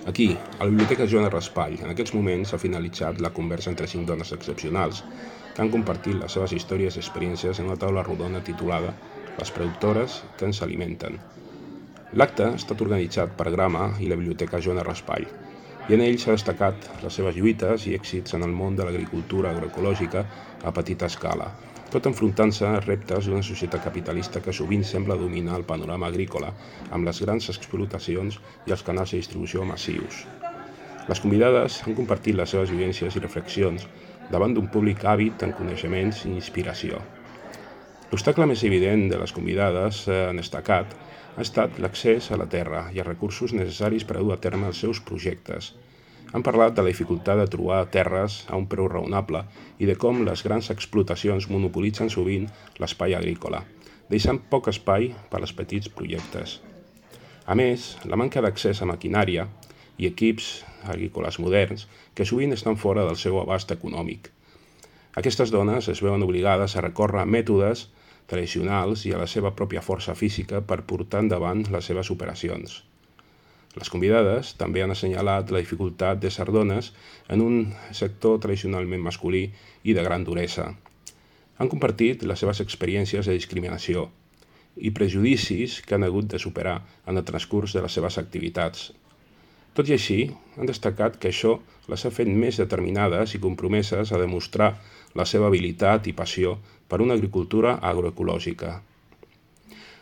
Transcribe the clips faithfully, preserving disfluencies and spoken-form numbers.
Aquí, a la Biblioteca Joana Raspall, en aquests moments s'ha finalitzat la conversa entre cinc dones excepcionals que han compartit les seves històries i experiències en una taula rodona titulada Les productores que ens alimenten. L'acte ha estat organitzat per Grama i la Biblioteca Joana Raspall, i en ell s'ha destacat les seves lluites i èxits en el món de l'agricultura agroecològica a petita escala, tot enfrontant-se a reptes d'una societat capitalista que sovint sembla dominar el panorama agrícola amb les grans explotacions i els canals de distribució massius. Les convidades han compartit les seves vivències i reflexions davant d'un públic àvid en coneixements i inspiració. L'obstacle més evident de les convidades en destacat ha estat l'accés a la terra i els recursos necessaris per a dur a terme els seus projectes. Han parlat de la dificultat de trobar terres a un preu raonable i de com les grans explotacions monopolitzen sovint l'espai agrícola, deixant poc espai per als petits projectes. A més, la manca d'accés a maquinària i equips agrícoles moderns que sovint estan fora del seu abast econòmic. Aquestes dones es veuen obligades a recórrer a mètodes tradicionals i a la seva pròpia força física per portar endavant les seves operacions. Les convidades també han assenyalat la dificultat d'ésser dones en un sector tradicionalment masculí i de gran duresa. Han compartit les seves experiències de discriminació i prejudicis que han hagut de superar en el transcurs de les seves activitats. Tot i així, han destacat que això les ha fet més determinades i compromeses a demostrar la seva habilitat i passió per una agricultura agroecològica.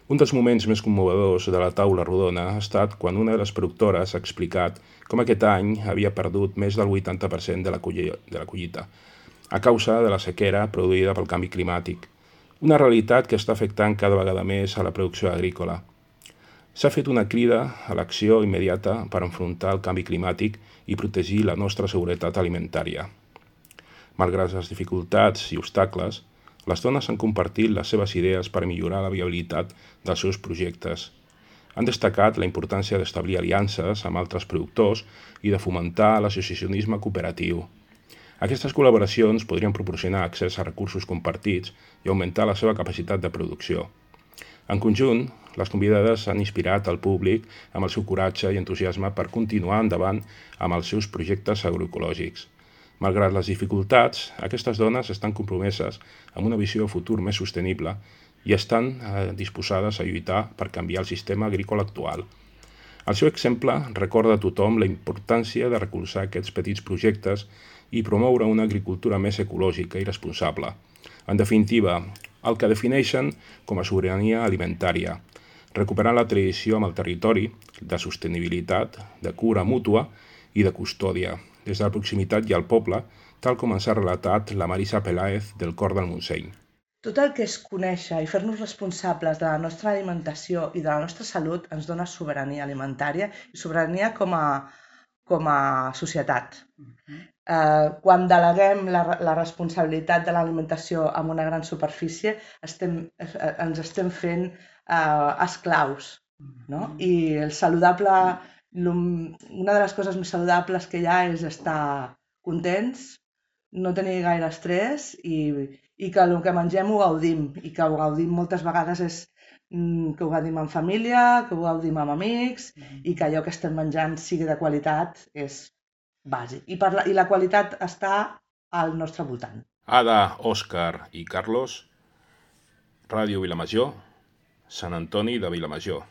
Un dels moments més commovedors de la taula rodona ha estat quan una de les productores ha explicat com aquest any havia perdut més del vuitanta per cent de la collita, a causa de la sequera produïda pel canvi climàtic, una realitat que està afectant cada vegada més a la producció agrícola. S'ha fet una crida a l'acció immediata per enfrontar el canvi climàtic i protegir la nostra seguretat alimentària. Malgrat les dificultats i obstacles, les dones han compartit les seves idees per millorar la viabilitat dels seus projectes. Han destacat la importància d'establir aliances amb altres productors i de fomentar l'associacionisme cooperatiu. Aquestes col·laboracions podrien proporcionar accés a recursos compartits i augmentar la seva capacitat de producció. En conjunt, les convidades han inspirat el públic amb el seu coratge i entusiasme per continuar endavant amb els seus projectes agroecològics. Malgrat les dificultats, aquestes dones estan compromeses amb una visió de futur més sostenible i estan disposades a lluitar per canviar el sistema agrícola actual. El seu exemple recorda a tothom la importància de recolzar aquests petits projectes i promoure una agricultura més ecològica i responsable. En definitiva, el que defineixen com a sobirania alimentària, recuperant la tradició amb el territori, de sostenibilitat, de cura mútua i de custòdia, des de la proximitat i al poble, tal com ens ha relatat la Marisa Peláez del Cor del Montseny. Tot el que és conèixer i fer-nos responsables de la nostra alimentació i de la nostra salut ens dona sobirania alimentària i sobirania com a, com a societat. Eh, quan deleguem la, la responsabilitat de l'alimentació en una gran superfície, estem, eh, ens estem fent eh, esclaus, no? I el saludable, una de les coses més saludables que hi ha és estar contents, no tenir gaire estrès i, i que el que mengem ho gaudim, i que ho gaudim moltes vegades és que ho gaudim en família, que ho gaudim amb amics i que allò que estem menjant sigui de qualitat és bàsic. I, per la, i la qualitat està al nostre voltant. Ada, Òscar i Carlos, Ràdio Vilamajor, Sant Antoni de Vilamajor.